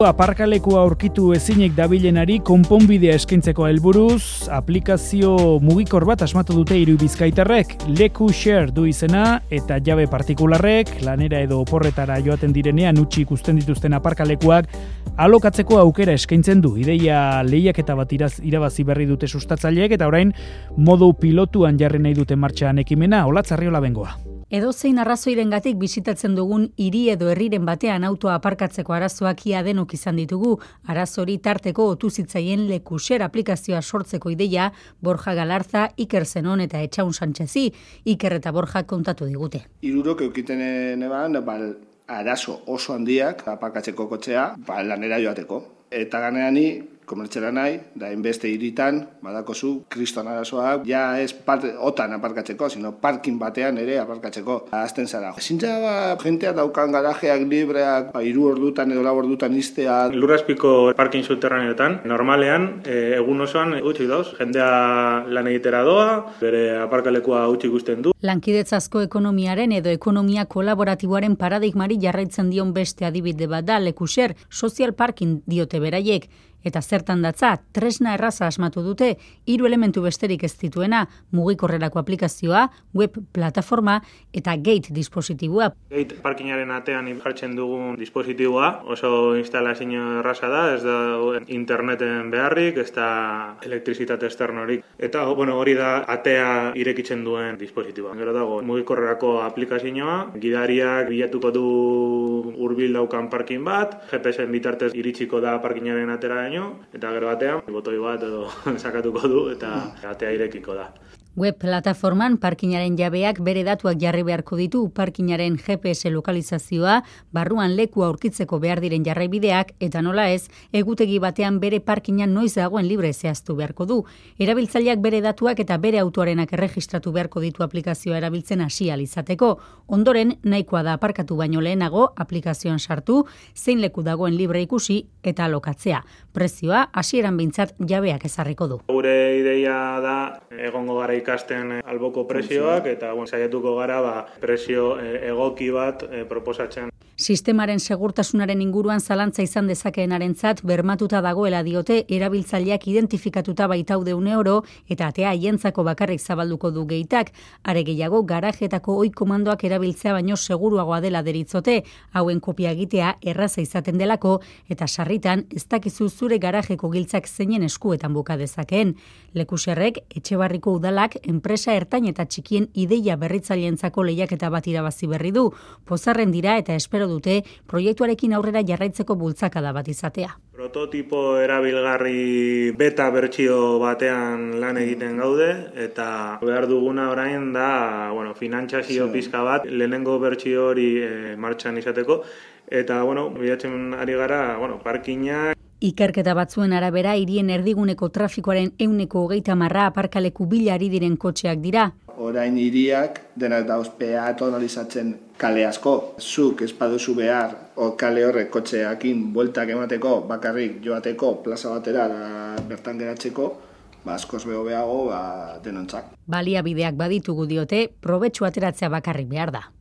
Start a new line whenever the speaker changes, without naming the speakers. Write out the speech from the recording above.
Aparkalekua aurkitu ezinik dabilenari konponbidea eskaintzeko helburuz, aplikazio mugikor bat asmatu dute hiru bizkaitarrek. LekuShare du izena eta jabe partikularrek lanera edo oporretara joaten direnean utzi ikusten dituzten aparkalekuak alokatzeko aukera eskaintzen du. Ideia lehiaketa bat irabazi berri dute sustatzaileek eta orain modu pilotuan jarri nahi dute martxan ekimena. Olatz Arriola Bengoa.
Edozein arrazoirengatik bisitatzen dugun hiri edo herriren batean autoa aparkatzeko arazoak ia denok izan ditugu. Arazori tarteko otu zitzaien LekuShare aplikazioa sortzeko ideia Borja Galarza, Iker Zenon eta Etxaun Sanchezi. Iker eta Borja kontatu digute.
Hirurok eukiten eban, arazo oso handiak aparkatzeko kotxea, lanera joateko. Eta ganeani, komertxera nahi, da inbeste hiritan, badakozu, kriston arazoak, ja ez otan aparkatzeko, sino parkin batean ere aparkatzeko azten zara. Zintza jentea daukan garajeak libreak, 3 ordutan edo 4 ordutan iztea.
Lurrazpiko parkin subterraneotan, normalean, egun osoan utzik dauz, jendea lan egitera doa, bere aparkalekua utzik ikusten du.
Lankidetzazko ekonomiaren edo ekonomia kolaboratiboaren paradigmari jarraitzen dion beste adibide bat da LekuShare, social parking diote beraiek. Eta zertan datza, tresna erraza asmatu dute, 3 elementu besterik ez dituena, mugikorrerako aplikazioa, web plataforma eta gate dispositiboa.
Gate parkingaren atean jartzen dugun dispositiboa, oso instalazio erraza da, ez da interneten beharrik, ez da elektrizitate externorik. Eta hori da atea irekitzen duen dispositiboa. Gero dago mugikorrerako aplikazioa, gidariak bilatuko du hurbil daukan parking bat, GPS-en bitartez iritsiko da parkingaren atera eta gero batean, botoi bat edo sakatuko du eta atea irekiko da.
Web plataforman parkinaren jabeak bere datuak jarri beharko ditu, parkinaren GPS lokalizazioa, barruan lekua aurkitzeko behar diren jarraibideak, eta nola ez, egutegi batean bere parkinan noiz dagoen libre zehaztu beharko du. Erabiltzaileak bere datuak eta bere autoarenak erregistratu beharko ditu aplikazioa erabiltzen hasi ahal izateko. Ondoren, nahikoa da aparkatu baino lehenago, aplikazioan sartu, zein leku dagoen libre ikusi eta alokatzea. Prezioa, hasieran behintzat jabeak ezarriko du.
Gure ideia da, egongo gara ikasten alboko prezioak eta saiatuko gara prezio egoki bat proposatzen.
Sistemaren segurtasunaren inguruan zalantza izan dezakeenarentzat bermatuta dagoela diote erabiltzaileak identifikatuta baitaude €1 eta atea haientzako bakarrik zabalduko du geitak. Are gehiago garajetako ohi komandoak erabiltzea baino seguruagoa dela deritzote, hauen kopia egitea erraza izaten delako eta sarritan ez dakizu zure garajeko giltzak zeinen eskuetan buka dezakeen. LekuSharek Etxebarriko udalak enpresa ertain eta txikien ideia berritzaileentzako lehiaketa bat irabazi berri du. Pozarren dira eta espero dute proiektuarekin aurrera jarraitzeko bultzakada bat izatea.
Prototipo erabilgarri beta bertsio batean lan egiten gaude eta behar duguna orain da, finantzazio pizka bat lehenengo bertsio hori martxan izateko eta bilatzen ari gara, parkina.
Ikerketa batzuen arabera, hirien erdiguneko trafikoaren 20% aparkaleku bila ari diren kotxeak dira.
Orain hiriak denak dauz peatonalizatzen kale asko. Zuk ez baduzu behar kale horrek kotxeakin bueltak emateko, bakarrik joateko plaza batera bertan geratzeko, askoz behobeago denontzak.
Baliabideak baditugu diote, probetxu ateratzea bakarrik behar da.